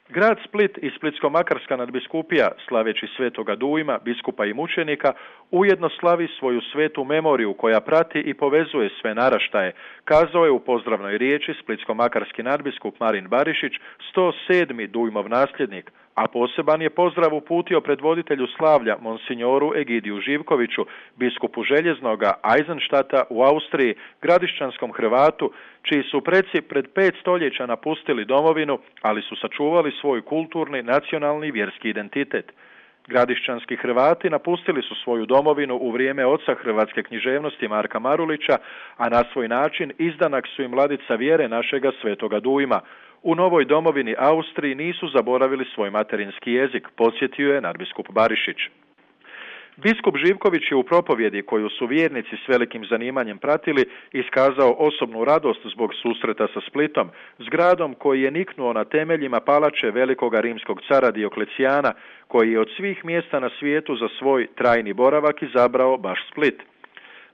Grad Split i Splitsko-makarska nadbiskupija, slaveći svetoga Dujma, biskupa i mučenika, ujedno slavi svoju svetu memoriju koja prati i povezuje sve naraštaje, kazao je u pozdravnoj riječi splitsko-makarski nadbiskup Marin Barišić, 107. Dujmov nasljednik, a poseban je pozdrav uputio predvoditelju slavlja monsignoru Egidiju Živkoviću, biskupu Željeznoga Eisenstadta u Austriji, gradišćanskom Hrvatu, čiji su preci pred 5 stoljeća napustili domovinu, ali su sačuvali svoj kulturni, nacionalni i vjerski identitet. Gradišćanski Hrvati napustili su svoju domovinu u vrijeme oca hrvatske književnosti Marka Marulića, a na svoj način izdanak su im ladica vjere našega svetoga Dujma. U novoj domovini Austriji nisu zaboravili svoj materinski jezik, podsjetio je nadbiskup Barišić. Biskup Živković je u propovjedi, koju su vjernici s velikim zanimanjem pratili, iskazao osobnu radost zbog susreta sa Splitom, s gradom koji je niknuo na temeljima palače velikoga rimskog cara Dioklecijana, koji je od svih mjesta na svijetu za svoj trajni boravak izabrao baš Split.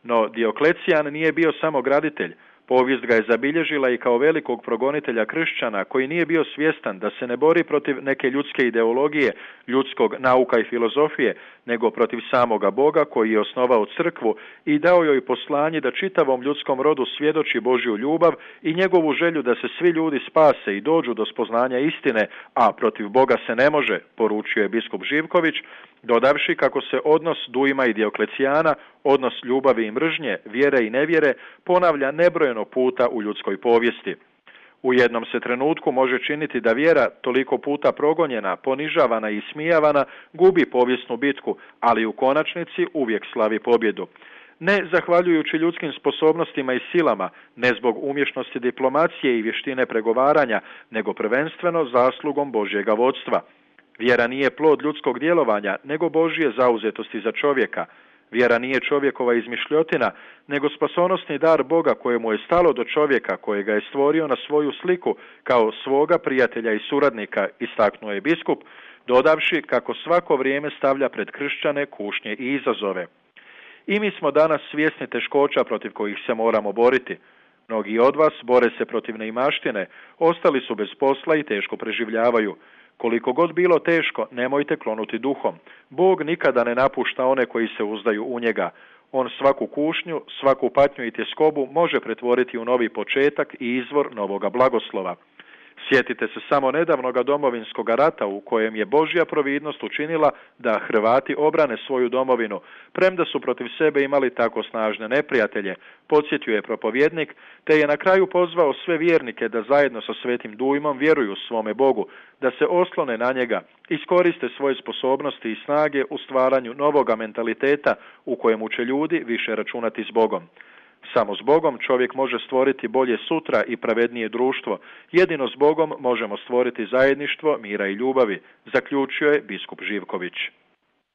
No Dioklecijan nije bio samo graditelj. Povijest ga je zabilježila i kao velikog progonitelja kršćana koji nije bio svjestan da se ne bori protiv neke ljudske ideologije, ljudskog nauka i filozofije, nego protiv samoga Boga koji je osnovao crkvu i dao joj poslanje da čitavom ljudskom rodu svjedoči Božju ljubav i njegovu želju da se svi ljudi spase i dođu do spoznanja istine, a protiv Boga se ne može, poručio je biskup Živković, dodavši kako se odnos Dujma i Dioklecijana, odnos ljubavi i mržnje, vjere i nevjere, ponavlja nebrojeno puta u ljudskoj povijesti. U jednom se trenutku može činiti da vjera, toliko puta progonjena, ponižavana i ismijavana, gubi povijesnu bitku, ali u konačnici uvijek slavi pobjedu. Ne zahvaljujući ljudskim sposobnostima i silama, ne zbog umješnosti diplomacije i vještine pregovaranja, nego prvenstveno zaslugom Božjega vodstva. Vjera nije plod ljudskog djelovanja, nego Božje zauzetosti za čovjeka. Vjera nije čovjekova izmišljotina, nego spasonosni dar Boga kojemu je stalo do čovjeka, kojega je stvorio na svoju sliku kao svoga prijatelja i suradnika, istaknuo je biskup, dodavši kako svako vrijeme stavlja pred kršćane kušnje i izazove. I mi smo danas svjesni teškoća protiv kojih se moramo boriti. Mnogi od vas bore se protiv neimaštine, ostali su bez posla i teško preživljavaju. Koliko god bilo teško, nemojte klonuti duhom. Bog nikada ne napušta one koji se uzdaju u njega. On svaku kušnju, svaku patnju i tjeskobu može pretvoriti u novi početak i izvor novoga blagoslova. Sjetite se samo nedavnoga domovinskog rata u kojem je Božja providnost učinila da Hrvati obrane svoju domovinu, premda su protiv sebe imali tako snažne neprijatelje, podsjetio je propovjednik, te je na kraju pozvao sve vjernike da zajedno sa Svetim Dujmom vjeruju svome Bogu, da se oslone na njega, iskoriste svoje sposobnosti i snage u stvaranju novoga mentaliteta u kojemu će ljudi više računati s Bogom. Samo s Bogom čovjek može stvoriti bolje sutra i pravednije društvo. Jedino s Bogom možemo stvoriti zajedništvo, mira i ljubavi, zaključio je biskup Živković.